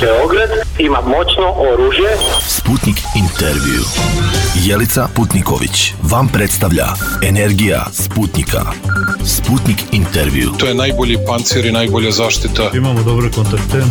Beograd ima moćno oružje. Sputnik intervju. Jelica Putniković vam predstavlja Energija Sputnika. Sputnik intervju. To je najbolji pancir i najbolja zaštita. Imamo dobre kontakte.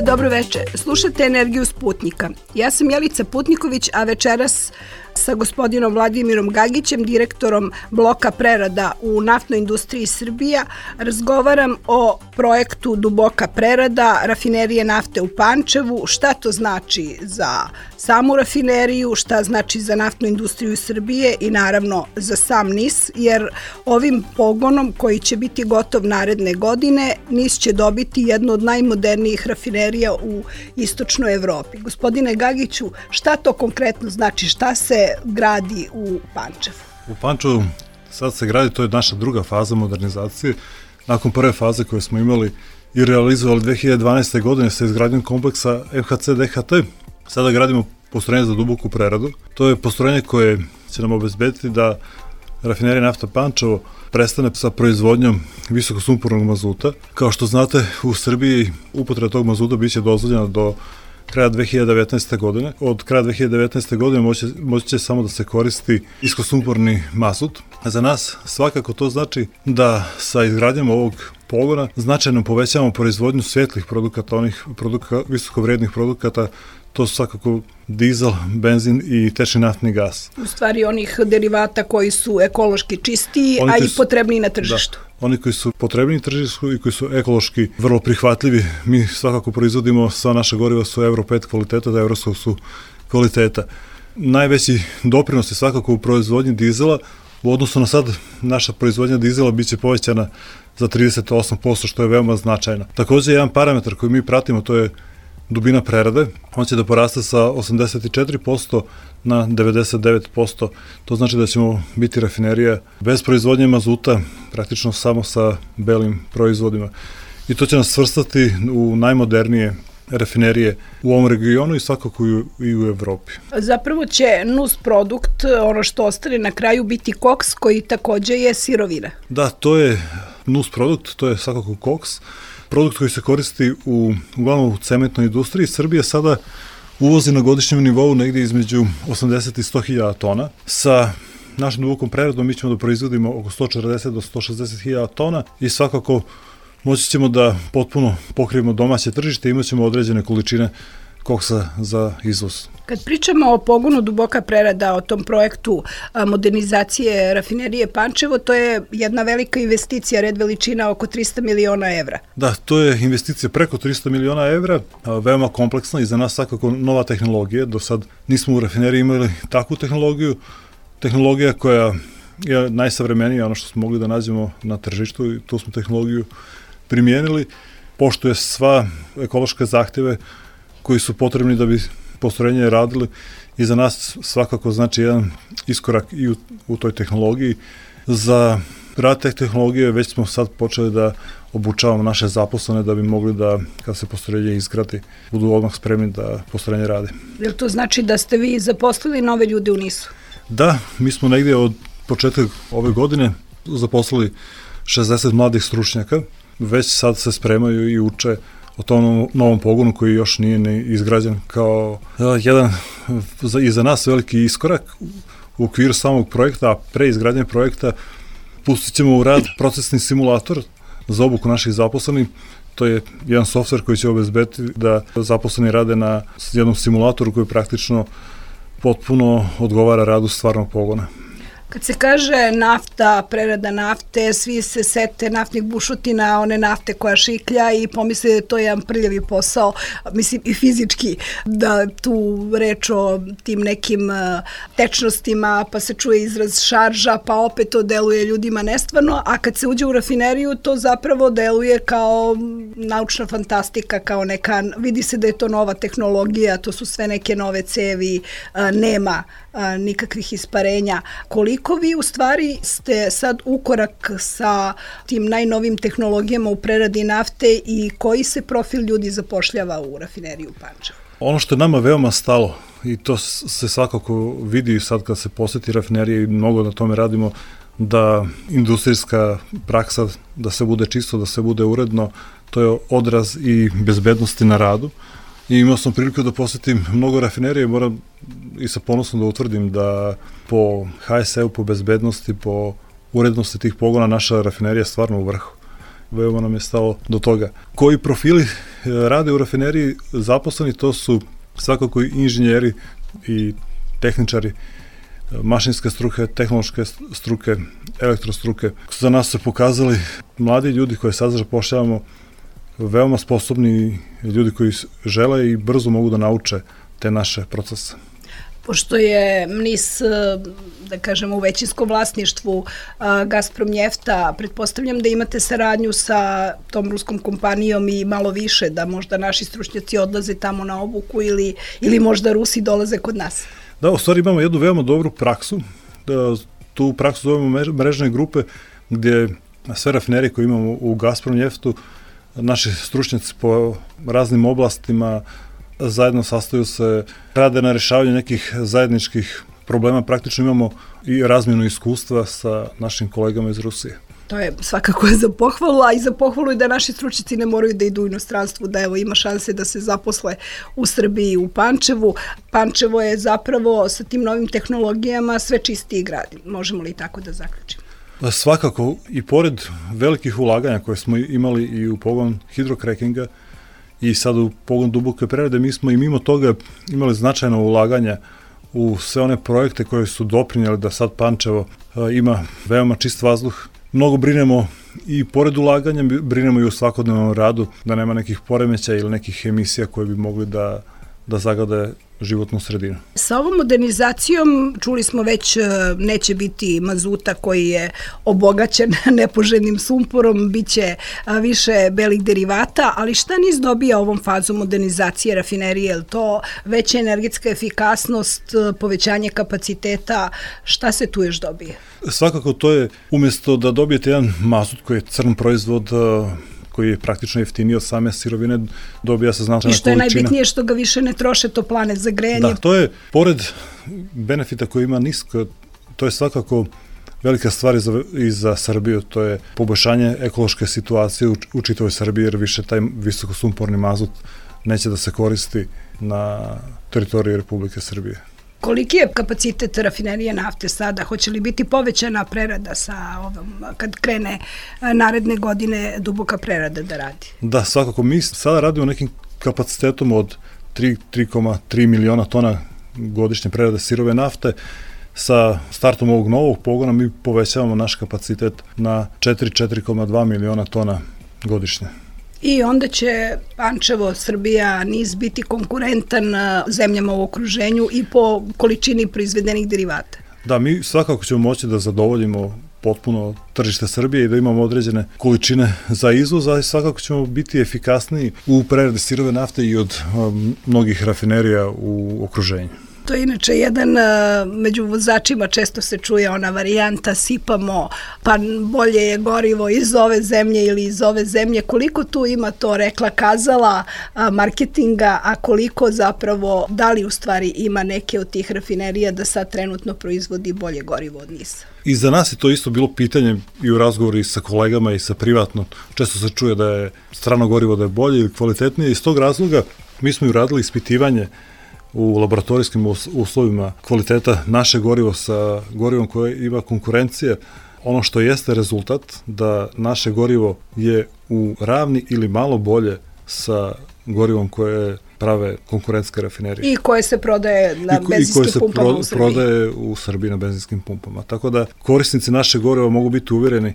Dobro večer, slušate Energiju Sputnika. Ja sam Jelica Putniković, a večeras sa gospodinom Vladimirom Gagićem, direktorom bloka prerada u naftnoj industriji Srbija, razgovaram o projektu Duboka prerada, rafinerije nafte u Pančevu, šta to znači za samu rafineriju, šta znači za naftnu industriju Srbije i naravno za sam NIS, jer ovim pogonom koji će biti gotov naredne godine, NIS će dobiti jednu od najmodernijih rafinerija u istočnoj Evropi. Gospodine Gagiću, šta to konkretno znači, šta se gradi u Pančevu? U Pančevu sad se gradi, to je naša druga faza modernizacije. Nakon prve faze koje smo imali i realizovali 2012. godine sa izgradnjom kompleksa MHC-DHT, sada gradimo postrojenje za duboku preradu. To je postrojenje koje će nam obezbediti da rafinerija nafta Pančevo prestane sa proizvodnjom visokosumpornog mazuta. Kao što znate, u Srbiji upotreba tog mazuta biće dozvoljena do kraja 2019. godine. Od kraja 2019. godine moći će samo da se koristi niskosumporni mazut. Za nas svakako to znači da sa izgradnjom ovog pogona značajno povećavamo proizvodnju svetlih produkata, onih visokovrednih produkata. To su svakako dizel, benzin i tečni naftni gas. U stvari onih derivata koji su ekološki čistiji, a i potrebniji na tržištu. Da, oni koji su potrebni na tržištu i koji su ekološki vrlo prihvatljivi. Mi svakako proizvodimo, sva naša goriva su Euro 5 kvaliteta, da evropskog su kvaliteta. Najveći doprinos je svakako u proizvodnji dizela. U odnosu na sad, naša proizvodnja dizela biće povećana za 38%, što je veoma značajno. Takođe, jedan parametar koji mi pratimo, to je dubina prerade. On će da poraste sa 84% na 99%. To znači da ćemo biti rafinerija bez proizvodnje mazuta, praktično samo sa belim proizvodima. I to će nas svrstati u najmodernije rafinerije u ovom regionu i svakako i u Evropi. Zapravo će nus produkt, ono što ostane na kraju, biti koks, koji takođe je sirovina. Da, to je nus produkt, to je svakako koks. Produkt koji se koristi uglavnom u cementnoj industriji. Srbija sada uvozi na godišnjem nivou negdje između 80 i 100 hiljada tona. Sa našom dubokom preradom mi ćemo da proizvodimo oko 140 do 160 hiljada tona i svakako moći ćemo da potpuno pokrijemo domaće tržište i imat ćemo određene količine koksa za izvoz. Kad pričamo o pogonu Duboka prerada, o tom projektu modernizacije rafinerije Pančevo, to je jedna velika investicija, red veličina oko 300 miliona evra. Da, to je investicija preko 300 miliona evra, veoma kompleksna i za nas svakako nova tehnologija. Do sad nismo u rafineriji imali takvu tehnologiju. Tehnologija koja je najsavremenija, ono što smo mogli da nađemo na tržištu i tu smo tehnologiju primijenili. Poštuje sva ekološke zahteve koji su potrebni da bi postrojenje radili i za nas svakako znači jedan iskorak i u toj tehnologiji. Za rad te tehnologije već smo sad počeli da obučavamo naše zaposlene da bi mogli da, kad se postrojenje izgradi, budu odmah spremni da postrojenje rade. Jel to znači da ste vi zaposlili nove ljude u NIS-u? Da, mi smo negdje od početka ove godine zaposlili 60 mladih stručnjaka, već sad se spremaju i uče o tom novom pogonu koji još nije ni izgrađen kao jedan i za nas veliki iskorak u okviru samog projekta, a pre izgradnje projekta pustit ćemo u rad procesni simulator za obuku naših zaposlenih. To je jedan softver koji će obezbediti da zaposleni rade na jednom simulatoru koji praktično potpuno odgovara radu stvarnog pogona. Kad se kaže nafta, prerada nafte, svi se sete naftnih bušotina, one nafte koja šiklja i pomisle da je to jedan prljavi posao, mislim i fizički, da tu reč o tim nekim tečnostima, pa se čuje izraz šarža, pa opet to deluje ljudima nestvarno, a kad se uđe u rafineriju, to zapravo deluje kao naučna fantastika, kao neka, vidi se da je to nova tehnologija, to su sve neke nove cevi, nema nikakvih isparenja. Koliko vi u stvari ste sad ukorak sa tim najnovim tehnologijama u preradi nafte i koji se profil ljudi zapošljava u rafineriju Pančevo? Ono što je nama veoma stalo i to se svakako vidi sad kad se poseti rafinerije i mnogo na tome radimo, da industrijska praksa, da se bude čisto, da se bude uredno, to je odraz i bezbednosti na radu. I imao sam priliku da posetim mnogo rafinerije, moram i sa ponosom da utvrdim da po HSE-u, po bezbednosti, po urednosti tih pogona naša rafinerija je stvarno u vrhu. Veoma nam je stalo do toga. Koji profili rade u rafineriji zaposleni, to su svakako i inženjeri i tehničari, mašinske struke, tehnološke struke, elektrostruke. Za nas su pokazali mladi ljudi koje sad zapošljavamo, veoma sposobni ljudi koji žele i brzo mogu da nauče te naše procese. Pošto je NIS, da kažemo, u većinskom vlasništvu Gazprom Njefta, pretpostavljam da imate saradnju sa tom ruskom kompanijom i malo više, da možda naši stručnjaci odlaze tamo na obuku ili možda Rusi dolaze kod nas. Da, u stvari imamo jednu veoma dobru praksu. Tu praksu zovemo mrežne grupe, gdje sve rafinerije koje imamo u Gazprom Njeftu, naši stručnjaci po raznim oblastima zajedno sastaju se, rade na rešavanju nekih zajedničkih problema. Praktično imamo i razmjenu iskustva sa našim kolegama iz Rusije. To je svakako za pohvalu, a i za pohvalu je da naši stručnjaci ne moraju da idu u inostranstvu, da evo ima šanse da se zaposle u Srbiji, u Pančevu. Pančevo je zapravo sa tim novim tehnologijama sve čistiji grad. Možemo li tako da zaključimo? Svakako, i pored velikih ulaganja koje smo imali i u pogon hidrokrekinga i sad u pogon duboke prerade, mi smo i mimo toga imali značajno ulaganja u sve one projekte koje su doprinjeli da sad Pančevo ima veoma čist vazduh. Mnogo brinemo i pored ulaganja, brinemo i u svakodnevnom radu, da nema nekih poremećaja ili nekih emisija koje bi mogli da zagade životnu sredinu. Sa ovom modernizacijom, čuli smo već, neće biti mazuta koji je obogaćen nepoželjnim sumporom, bit će više belih derivata, ali šta NIS dobija ovom fazom modernizacije rafinerije? Je to veća energetska efikasnost, povećanje kapaciteta, šta se tu još dobije? Svakako to je, umjesto da dobijete jedan mazut koji je crn proizvod, koji je praktično jeftiniji od same sirovine, dobija se značajna količina. I što je najbitnije, što ga više ne troše toplane za grejanje. Da, to je, pored benefita koji ima NIS, to je svakako velika stvar i za Srbiju, to je poboljšanje ekološke situacije u čitavoj Srbiji, jer više taj visokosumporni mazut neće da se koristi na teritoriji Republike Srbije. Koliki je kapacitet rafinerije nafte sada? Hoće li biti povećana prerada sa ovom, kad krene naredne godine duboka prerada da radi? Da, svakako. Mi sada radimo nekim kapacitetom od 3,3 miliona tona godišnje prerade sirove nafte. Sa startom ovog novog pogona mi povećavamo naš kapacitet na 4,2 miliona tona godišnje. I onda će Pančevo, Srbija, NIS biti konkurentan zemljama u okruženju i po količini proizvedenih derivata. Da, mi svakako ćemo moći da zadovoljimo potpuno tržište Srbije i da imamo određene količine za izvoz, ali svakako ćemo biti efikasniji u preradi sirove nafte i od mnogih rafinerija u okruženju. To je inače jedan, među vozačima često se čuje ona varijanta, sipamo, pa bolje je gorivo iz ove zemlje ili iz ove zemlje. Koliko tu ima to rekla kazala marketinga, a koliko zapravo, da li u stvari ima neke od tih rafinerija da sad trenutno proizvodi bolje gorivo od NIS-a? I za nas je to isto bilo pitanje i u razgovoru i sa kolegama i sa privatno. Često se čuje da je strano gorivo da je bolje ili kvalitetnije. Iz tog razloga mi smo i uradili ispitivanje u laboratorijskim uslovima kvaliteta naše gorivo sa gorivom koje ima konkurencije. Ono što jeste rezultat da naše gorivo je u ravni ili malo bolje sa gorivom koje prave konkurentske rafinerije. I koje se prodaje na benzinskim pumpama u Srbiji. I koje se prodaje u Srbiji na benzinskim pumpama. Tako da korisnici naše goriva mogu biti uvjereni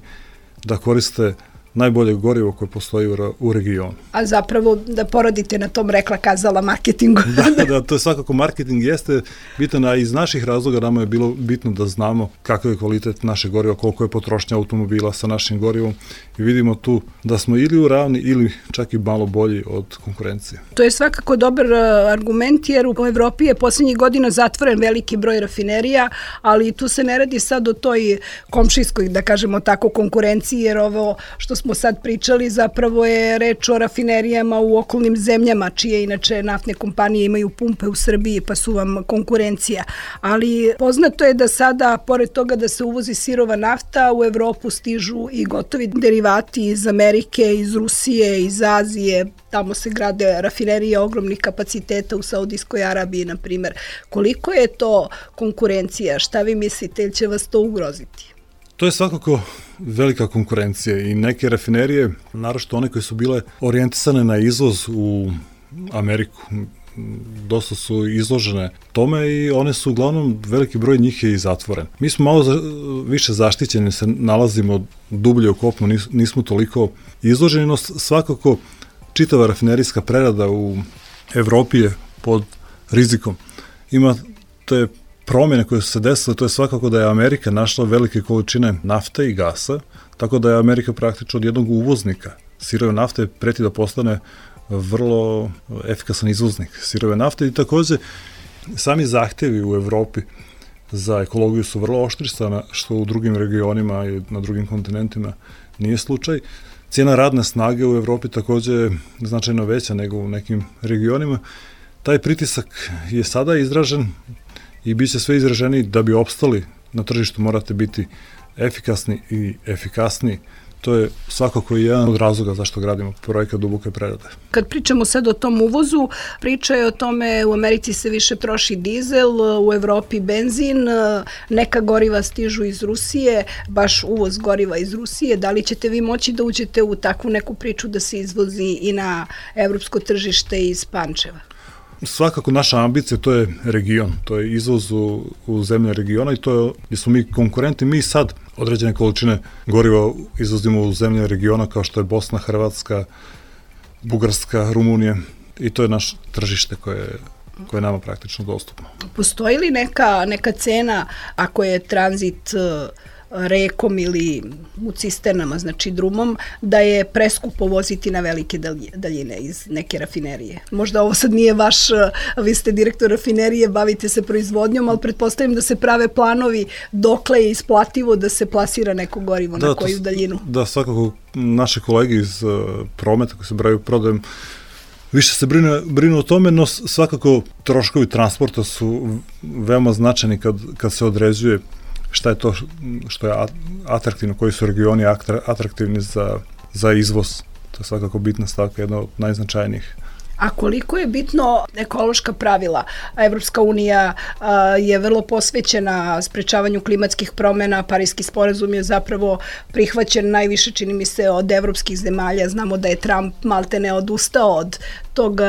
da koriste najbolje gorivo koje postoji u regionu. A zapravo da poradite na tom rekla kazala marketingu. Da, to je svakako marketing jeste bitan, a iz naših razloga nama je bilo bitno da znamo kakav je kvalitet naše goriva, koliko je potrošnja automobila sa našim gorivom i vidimo tu da smo ili u ravni ili čak i malo bolji od konkurencije. To je svakako dobar argument jer u Evropi je posljednjih godina zatvoren veliki broj rafinerija, ali tu se ne radi sad o toj komšijskoj, da kažemo tako, konkurenciji, jer ovo što smo sad pričali, zapravo je reč o rafinerijama u okolnim zemljama, čije inače naftne kompanije imaju pumpe u Srbiji, pa su vam konkurencija. Ali poznato je da sada, pored toga da se uvozi sirova nafta, u Evropu stižu i gotovi derivati iz Amerike, iz Rusije, iz Azije. Tamo se grade rafinerije ogromnih kapaciteta u Saudijskoj Arabiji, na primjer. Koliko je to konkurencija? Šta vi mislite, ili će vas to ugroziti? To je svakako velika konkurencija i neke rafinerije, naročito one koje su bile orijentisane na izvoz u Ameriku, dosta su izložene tome i one su uglavnom, veliki broj njih je i zatvoren. Mi smo malo više zaštićeni, se nalazimo dublje u kopnu, nismo toliko izloženi, no svakako čitava rafinerijska prerada u Evropi je pod rizikom. Ima te promjene koje su se desile, to je svakako da je Amerika našla velike količine nafte i gasa, tako da je Amerika praktično od jednog uvoznika sirove nafte preti da postane vrlo efikasan izvoznik sirove nafte i takođe sami zahtevi u Evropi za ekologiju su vrlo oštrisana, što u drugim regionima i na drugim kontinentima nije slučaj. Cijena radne snage u Evropi takođe je značajno veća nego u nekim regionima. Taj pritisak je sada izražen i bit će sve izraženiji. Da bi opstali na tržištu morate biti efikasni i efikasniji. To je svakako jedan od razloga zašto gradimo projekat duboke prerade. Kad pričamo sad o tom uvozu, priča je o tome, u Americi se više troši dizel, u Evropi benzin, neka goriva stižu iz Rusije, baš uvoz goriva iz Rusije. Da li ćete vi moći da uđete u takvu neku priču da se izvozi i na evropsko tržište iz Pančeva? Svakako naša ambicija, to je region, to je izvoz u zemlje regiona i to je, gdje smo mi konkurenti, mi sad određene količine goriva izvozimo u zemlje regiona kao što je Bosna, Hrvatska, Bugarska, Rumunija i to je naše tržište koje je nama praktično dostupno. Postoji li neka cena ako je tranzit rekom ili u cisternama, znači drumom, da je preskupo voziti na velike daljine iz neke rafinerije? Možda ovo sad nije vaš, vi ste direktor rafinerije, bavite se proizvodnjom, ali pretpostavljam da se prave planovi dokle je isplativo da se plasira neko gorivo, na koju daljinu. Da, svakako naše kolege iz prometa koji se bavaju prodajem više se brinu o tome, no svakako troškovi transporta su veoma značajni kad se određuje šta je to što je atraktivno, koji su regioni atraktivni za izvoz. To je svakako bitna stavka, jedna od najznačajnijih. A koliko je bitno ekološka pravila? Evropska unija je vrlo posvećena sprečavanju klimatskih promjena, Pariski sporazum je zapravo prihvaćen najviše, čini mi se, od evropskih zemalja. Znamo da je Trump maltene odustao od tog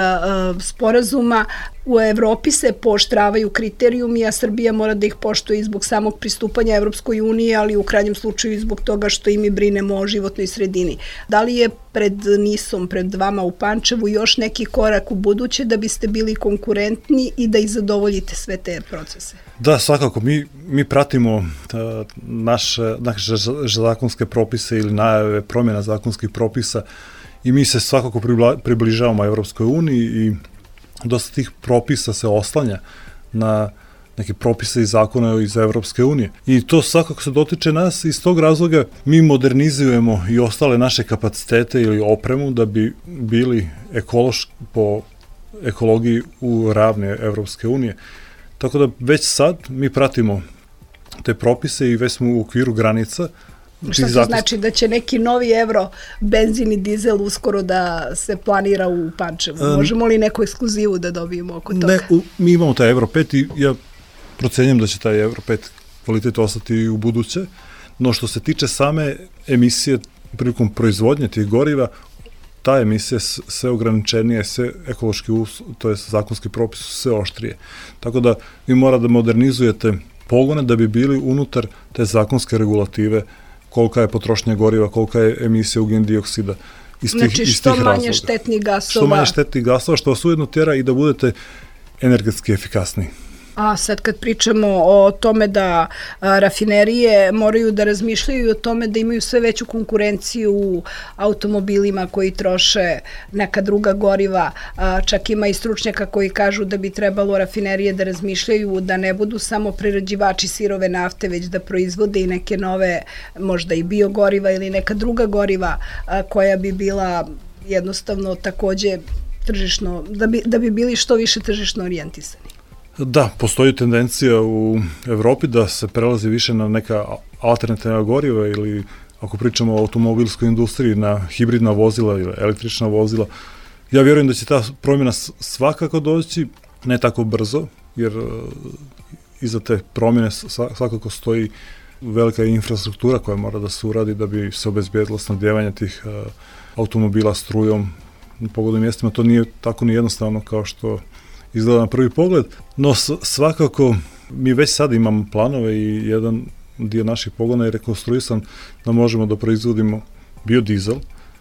sporazuma. U Evropi se pooštravaju kriterijumi, a Srbija mora da ih poštuje i zbog samog pristupanja Evropskoj uniji, ali u krajnjem slučaju i zbog toga što i mi brinemo o životnoj sredini. Da li je pred NIS-om, pred vama u Pančevu još neki korak u buduće da biste bili konkurentni i da ih zadovoljite sve te procese? Da, svakako. Mi pratimo naše zakonske propise ili najave promjena zakonskih propisa i mi se svakako približavamo Evropskoj uniji i dosta tih propisa se oslanja na neke propise i zakone iz Evropske unije. I to svakako se dotiče nas i iz tog razloga mi modernizujemo i ostale naše kapacitete ili opremu da bi bili po ekologiji u ravni Evropske unije. Tako da već sad mi pratimo te propise i već smo u okviru granica. Šta to znači, da će neki novi evro benzin i dizel uskoro da se planira u Pančevu? Možemo li neku ekskluzivu da dobijemo oko toga? Ne, mi imamo taj Euro 5 i ja procenjam da će taj Euro 5 kvalitet ostati u buduće, no što se tiče same emisije prilikom proizvodnje tih goriva, ta emisija sve ograničenije, sve ekološki, to je zakonski propis, sve oštrije. Tako da vi mora da modernizujete pogone da bi bili unutar te zakonske regulative, kolika je potrošnja goriva, kolika je emisija ugljen dioksida iz tih razloga. Znači što manje štetnih gasova. Što manje štetnih gasova, što vas ujedno tjera i da budete energetski efikasniji. A sad kad pričamo o tome da rafinerije moraju da razmišljaju o tome da imaju sve veću konkurenciju u automobilima koji troše neka druga goriva, čak ima i stručnjaka koji kažu da bi trebalo rafinerije da razmišljaju da ne budu samo prerađivači sirove nafte, već da proizvode i neke nove, možda i biogoriva ili neka druga goriva koja bi bila jednostavno takođe tržišno, da bi bili što više tržišno orijentisani. Da, postoji tendencija u Evropi da se prelazi više na neka alternativna goriva ili ako pričamo o automobilskoj industriji na hibridna vozila ili električna vozila. Ja vjerujem da će ta promjena svakako doći, ne tako brzo, jer iza te promjene svakako stoji velika infrastruktura koja mora da se uradi da bi se obezbijedilo snabdjevanje tih automobila strujom na pogodnim mjestima. To nije tako ni jednostavno kao što izgleda na prvi pogled, no svakako mi već sad imamo planove i jedan dio naših pogona je rekonstruisan da možemo da proizvodimo biodizel.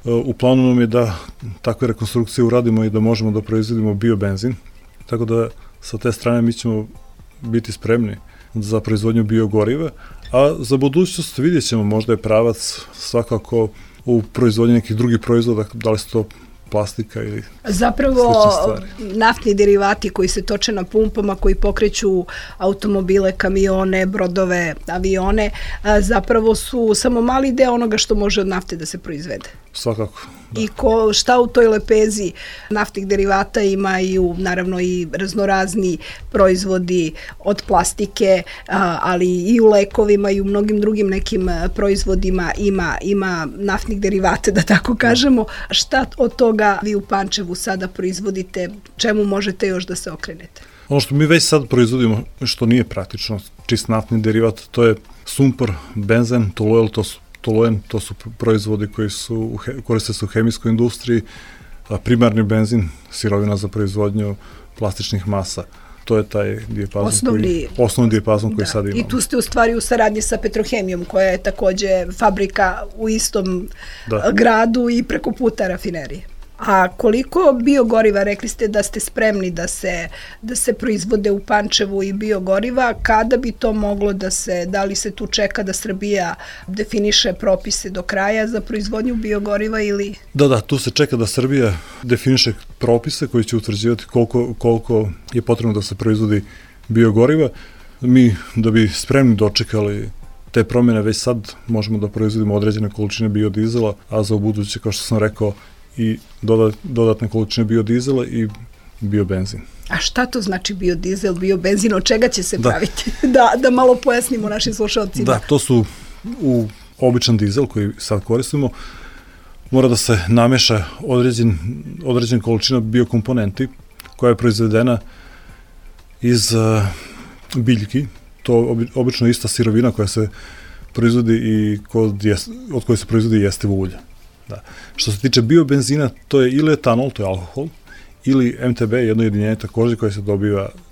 U planu nam je da takve rekonstrukcije uradimo i da možemo da proizvodimo biobenzin, tako da sa te strane mi ćemo biti spremni za proizvodnju biogoriva, a za budućnost vidjet ćemo, možda je pravac svakako u proizvodnji nekih drugih proizvoda, da li su to plastika ili zapravo naftni derivati koji se toče na pumpama, koji pokreću automobile, kamione, brodove, avione, zapravo su samo mali deo onoga što može od nafte da se proizvede. Svakako. Da. I šta u toj lepezi naftnih derivata imaju naravno i raznorazni proizvodi od plastike, ali i u lekovima i u mnogim drugim nekim proizvodima ima naftnih derivata, da tako kažemo. Šta od toga vi u Pančevu sada proizvodite, čemu možete još da se okrenete? Ono što mi već sad proizvodimo, što nije praktično, čist naftni derivat, to je sumpor, benzen, toluen, to su proizvodi koji koriste se u hemijskoj industriji, primarni benzin, sirovina za proizvodnju plastičnih masa. To je taj osnovni dijapazon koji sad imamo. I tu ste u stvari u saradnji sa Petrohemijom, koja je takođe fabrika u istom gradu i preko puta rafinerije. A koliko biogoriva, rekli ste da ste spremni da se proizvode u Pančevu i biogoriva, kada bi to moglo da li se tu čeka da Srbija definiše propise do kraja za proizvodnju biogoriva ili? Da, tu se čeka da Srbija definiše propise koji će utvrđivati koliko je potrebno da se proizvodi biogoriva. Mi, da bi spremni dočekali te promjene, već sad možemo da proizvodimo određene količine biodizela, a za ubuduće, kao što sam rekao, i dodatne količine biodizela i biobenzin. A šta to znači biodizel, biobenzin, od čega će se praviti? Da malo pojasnimo našim slušalcima. Da, to su u običan dizel koji sad koristimo, mora da se nameša određena količina biokomponenti koja je proizvedena iz biljki. To obično ista sirovina koja se proizvodi i od koje se proizvodi jestivo ulje. Da. Što se tiče biobenzina, to je ili etanol, to je alkohol, ili MTB, jedno jedinjenje takođe koje se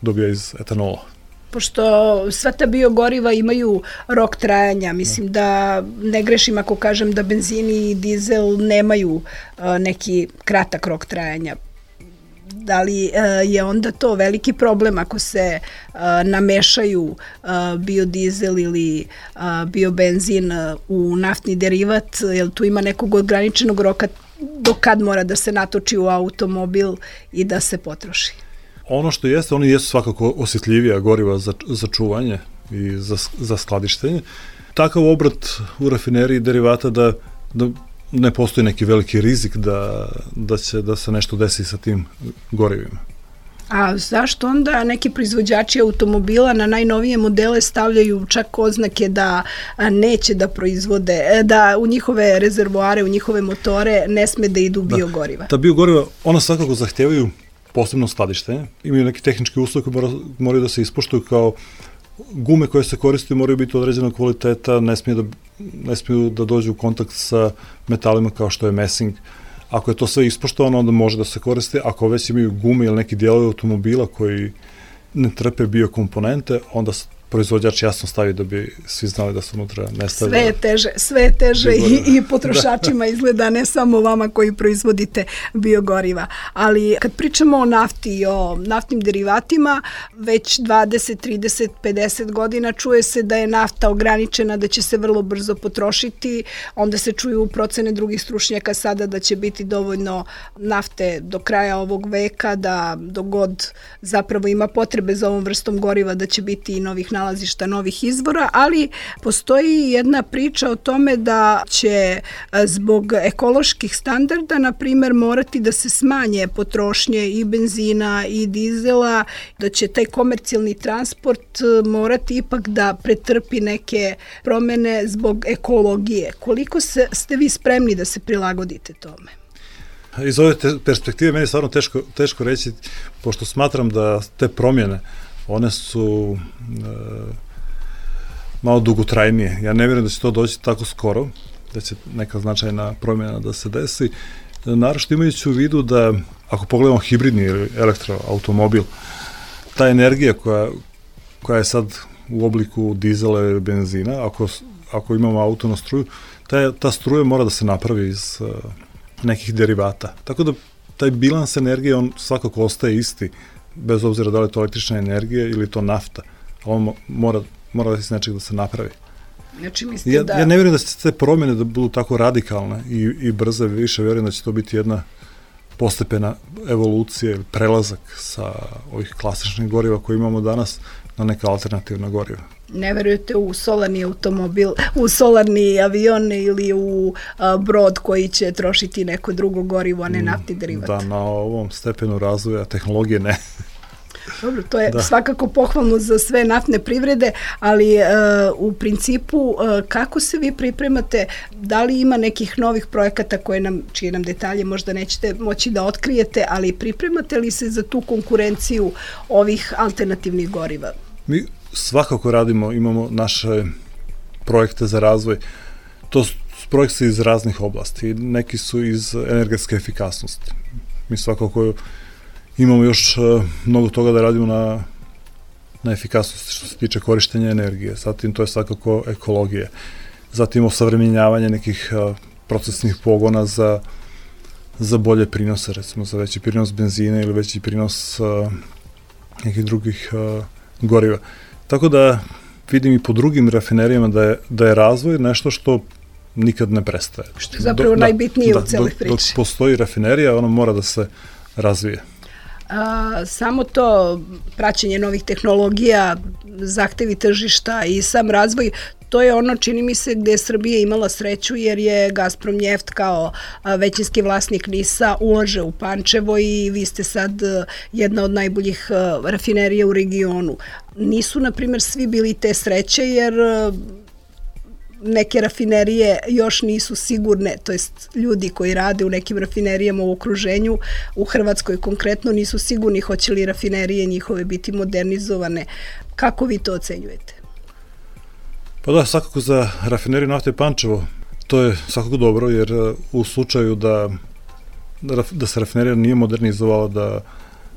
dobija iz etanola. Pošto sva ta biogoriva imaju rok trajanja, mislim da ne grešim ako kažem da benzini i dizel nemaju neki kratak rok trajanja. Da li je onda to veliki problem ako se namešaju biodizel ili biobenzin u naftni derivat, jer tu ima nekog ograničenog roka do kad mora da se natoči u automobil i da se potroši? Ono što jeste, oni jesu svakako osjetljivija goriva za čuvanje i za skladištenje. Takav obrat u rafineriji derivata da ne postoji neki veliki rizik da se nešto desi sa tim gorivima. A zašto onda neki proizvođači automobila na najnovije modele stavljaju čak oznake da neće da proizvode, da u njihove rezervoare, u njihove motore ne sme da idu biogoriva? Ta biogoriva, ona svakako zahtevaju posebno skladištenje. Imaju neki tehnički uslovi koji moraju da se ispoštuju, kao gume koje se koriste moraju biti određenog kvaliteta, ne smiju da dođu u kontakt sa metalima kao što je mesing. Ako je to sve ispoštovano, onda može da se koriste. Ako već imaju gume ili neki dijelovi automobila koji ne trpe biokomponente, onda proizvođač jasno stavi da bi svi znali da se unutra ne stavlja. Sve je teže i potrošačima izgleda, ne samo vama koji proizvodite biogoriva. Ali kad pričamo o nafti i o naftnim derivatima, već 20, 30, 50 godina čuje se da je nafta ograničena, da će se vrlo brzo potrošiti, onda se čuju procene drugih stručnjaka sada da će biti dovoljno nafte do kraja ovog veka, da dogod zapravo ima potrebe za ovom vrstom goriva da će biti i novih nalazišta, novih izvora, ali postoji jedna priča o tome da će zbog ekoloških standarda, na primer, morati da se smanje potrošnje i benzina i dizela, da će taj komercijalni transport morati ipak da pretrpi neke promene zbog ekologije. Koliko ste vi spremni da se prilagodite tome? Iz ove perspektive meni je stvarno teško reći, pošto smatram da te promjene, one su malo dugotrajnije. Ja ne vjerujem da će to doći tako skoro, da će neka značajna promjena da se desi. Naravno imajući u vidu da, ako pogledamo hibridni ili elektroautomobil, ta energija koja je sad u obliku dizela ili benzina, ako imamo auto na struju, ta struja mora da se napravi iz nekih derivata. Tako da taj bilans energije, on svakako ostaje isti, bez obzira da li je to električna energija ili to nafta. On mora da iz nečeg da se napravi. Znači, mislite da... Ja ne vjerujem da će te promjene da budu tako radikalne i brze, više vjerujem da će to biti jedna postepena evolucija ili prelazak sa ovih klasičnih goriva koje imamo danas na neka alternativna goriva. Ne verujete u solarni automobil, u solarni avion ili u brod koji će trošiti neko drugo gorivo, a ne naftni derivat? Da, na ovom stepenu razvoja tehnologije ne. Dobro, to je svakako pohvalno za sve naftne privrede, ali u principu kako se vi pripremate, da li ima nekih novih projekata čije nam detalje možda nećete moći da otkrijete, ali pripremate li se za tu konkurenciju ovih alternativnih goriva? Mi svakako radimo, imamo naše projekte za razvoj. To su projekti iz raznih oblasti, neki su iz energetske efikasnosti. Mi svakako imamo još mnogo toga da radimo na efikasnosti što se tiče korištenja energije. Zatim to je svakako ekologija. Zatim osavremenjavanje nekih procesnih pogona za bolje prinose, recimo za veći prinos benzina ili veći prinos nekih drugih goriva. Tako da vidim i po drugim rafinerijama da je razvoj nešto što nikad ne prestaje. Što je zapravo najbitnije u celoj priči. Dok postoji rafinerija, ona mora da se razvije. Samo to praćenje novih tehnologija, zahtevi tržišta i sam razvoj, to je ono, čini mi se, gde je Srbija imala sreću, jer je Gazprom Njeft kao većinski vlasnik NIS-a ulaže u Pančevo i vi ste sad jedna od najboljih rafinerija u regionu. Nisu, na primjer, svi bili te sreće, jer neke rafinerije još nisu sigurne, to jest ljudi koji rade u nekim rafinerijama u okruženju, u Hrvatskoj konkretno, nisu sigurni hoće li rafinerije njihove biti modernizovane. Kako vi to ocenjujete? Pa da, svakako za rafineriju nafte Pančevo to je svakako dobro, jer u slučaju da se rafinerija nije modernizovala,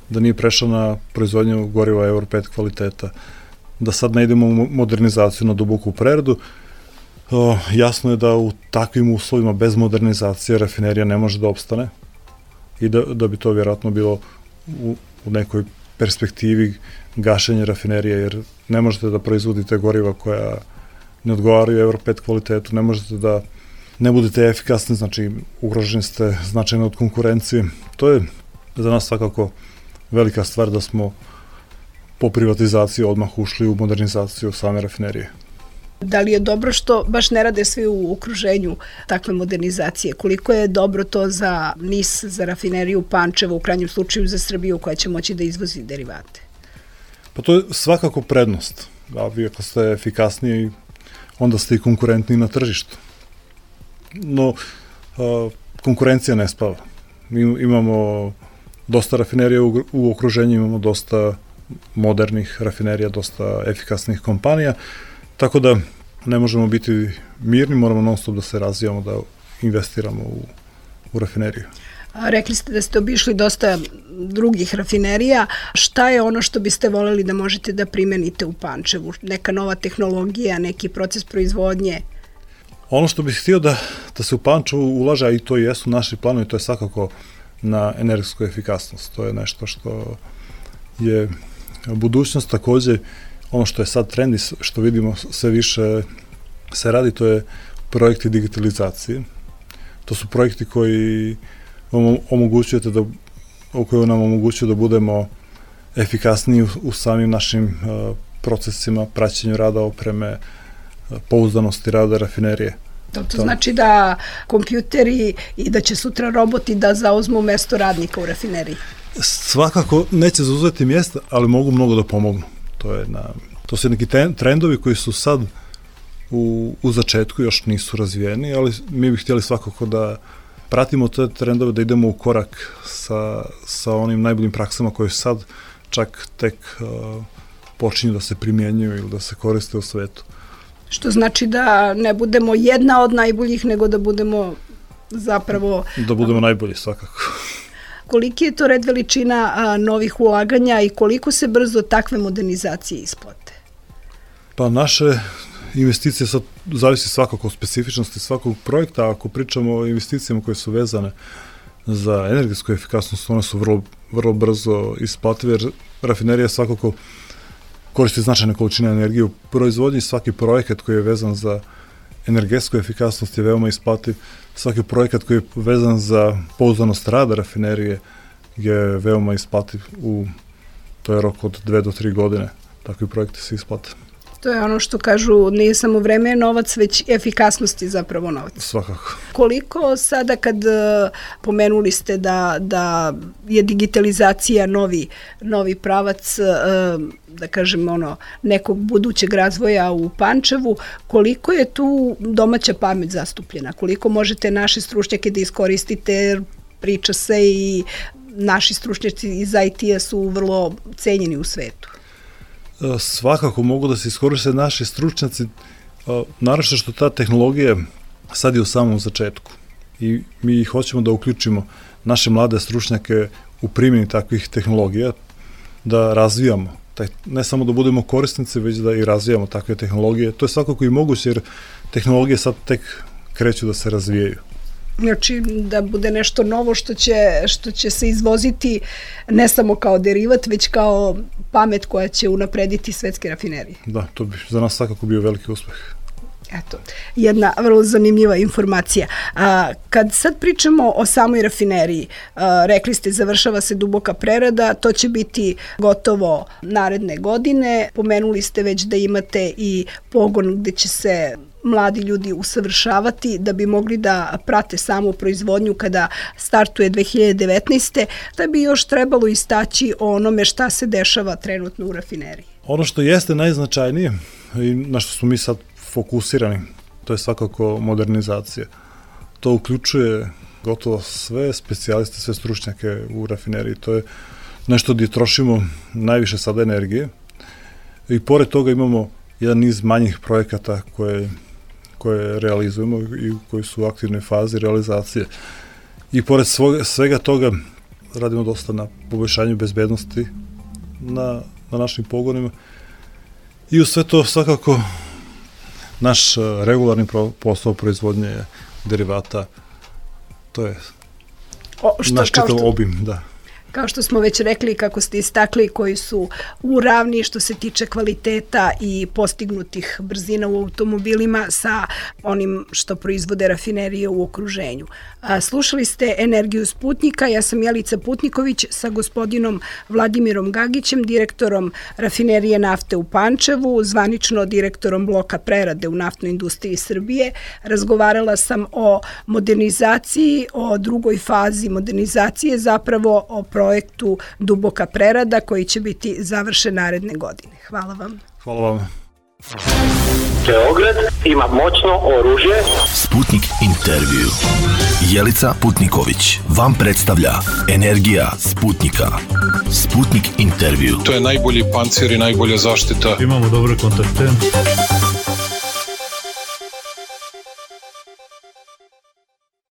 da nije prešla na proizvodnju goriva Euro 5 kvaliteta, da sad ne idemo u modernizaciju na duboku preradu, jasno je da u takvim uslovima bez modernizacije rafinerija ne može da opstane i da bi to vjerojatno bilo u nekoj perspektivi gašenje rafinerije, jer ne možete da proizvodite goriva koja ne odgovaraju Euro 5 kvalitetu, ne možete da ne budete efikasni, znači ugroženi ste značajno od konkurencije. To je za nas svakako velika stvar da smo po privatizaciji odmah ušli u modernizaciju same rafinerije. Da li je dobro što baš ne rade svi u okruženju takve modernizacije? Koliko je dobro to za NIS, za rafineriju Pančevo, u krajnjem slučaju za Srbiju koja će moći da izvozi derivate? Pa to je svakako prednost. Vi ako ste efikasniji, onda ste i konkurentni na tržištu. No, konkurencija ne spava. Mi imamo dosta rafinerija u okruženju, imamo dosta modernih rafinerija, dosta efikasnih kompanija, tako da ne možemo biti mirni, moramo non stop da se razvijamo, da investiramo u rafineriju. Rekli ste da ste obišli dosta drugih rafinerija. Šta je ono što biste voljeli da možete da primenite u Pančevu? Neka nova tehnologija, neki proces proizvodnje? Ono što bih htio da se u Pančevu ulaže, a i to jesu naši planovi, to je svakako na energetsku efikasnost. To je nešto što je budućnost. Takođe, ono što je sad trend i što vidimo sve više se radi, to je projekti digitalizacije. To su projekti koji nam omogućuju da budemo efikasniji u samim našim procesima, praćenju rada opreme, pouzdanosti rada rafinerije. To znači da kompjuteri i da će sutra roboti da zauzmu mesto radnika u rafineriji? Svakako neće zauzeti mjesta, ali mogu mnogo da pomognu. To su neki trendovi koji su sad u začetku, još nisu razvijeni, ali mi bih htjeli svakako da pratimo te trendove, da idemo u korak sa onim najboljim praksama koje sad čak tek počinju da se primjenjuju ili da se koriste u svetu. Što znači da ne budemo jedna od najboljih, nego da budemo zapravo... Da budemo najbolji, svakako. Koliki je to red veličina novih ulaganja i koliko se brzo takve modernizacije isplate? Pa naše investicije sad zavisi svakako od specifičnosti svakog projekta. Ako pričamo o investicijama koje su vezane za energetsku efikasnost, one su vrlo brzo isplative, jer rafinerija svakako koristi značajne količine energije u proizvodnji. Svaki projekat koji je vezan za energetsku efikasnost je veoma isplativ. Svaki projekat koji je vezan za pouzdanost rada rafinerije je veoma isplativ. To je rok od 2 do 3 godine. Takvi projekti se isplate. To je ono što kažu, nije samo vreme je novac, već efikasnost je zapravo novac. Svakako. Koliko sada kad pomenuli ste da je digitalizacija novi pravac, da kažem nekog budućeg razvoja u Pančevu, koliko je tu domaća pamet zastupljena? Koliko možete naše stručnjake da iskoristite, jer priča se i naši stručnjaci iz IT-a su vrlo cenjeni u svetu? Svakako mogu da se iskoriste naši stručnjaci, naravno što ta tehnologija sad je u samom začetku i mi hoćemo da uključimo naše mlade stručnjake u primjeni takvih tehnologija, da razvijamo, ne samo da budemo korisnici, već da i razvijamo takve tehnologije. To je svakako i moguće, jer tehnologije sad tek kreću da se razvijaju. Znači da bude nešto novo što će se izvoziti ne samo kao derivat, već kao pamet koja će unaprediti svetske rafinerije. Da, to bi za nas svakako bio veliki uspeh. Eto, jedna vrlo zanimljiva informacija. Kad sad pričamo o samoj rafineriji, rekli ste završava se duboka prerada, to će biti gotovo naredne godine. Pomenuli ste već da imate i pogon gde će se mladi ljudi usavršavati da bi mogli da prate samu proizvodnju kada startuje 2019. Da bi još trebalo istaći o onome šta se dešava trenutno u rafineriji. Ono što jeste najznačajnije i na što smo mi sad fokusirani, to je svakako modernizacija. To uključuje gotovo sve specijaliste, sve stručnjake u rafineriji. To je nešto gdje trošimo najviše sada energije i pored toga imamo jedan niz manjih projekata koje realizujemo i koji su u aktivnoj fazi realizacije. I pored svega toga radimo dosta na poboljšanju bezbednosti na našim pogonima i u sve to svakako naš regularni posao proizvodnje derivata, to je naš čitav obim, da. Kao što smo već rekli, kako ste istakli, koji su u ravni što se tiče kvaliteta i postignutih brzina u automobilima sa onim što proizvode rafinerije u okruženju. Slušali ste Energiju Sputnika, ja sam Jelica Putniković sa gospodinom Vladimirom Gagićem, direktorom rafinerije nafte u Pančevu, zvanično direktorom bloka prerade u naftnoj industriji Srbije. Razgovarala sam o modernizaciji, o drugoj fazi modernizacije, zapravo o projektu Duboka prerada koji će biti završen naredne godine. Hvala vam. Hvala vam. Beograd ima moćno oružje. Sputnik intervju. Jelica Putniković vam predstavlja Energija Sputnika. Sputnik intervju. To je najbolji pancir i najbolja zaštita. Imamo dobre kontakte.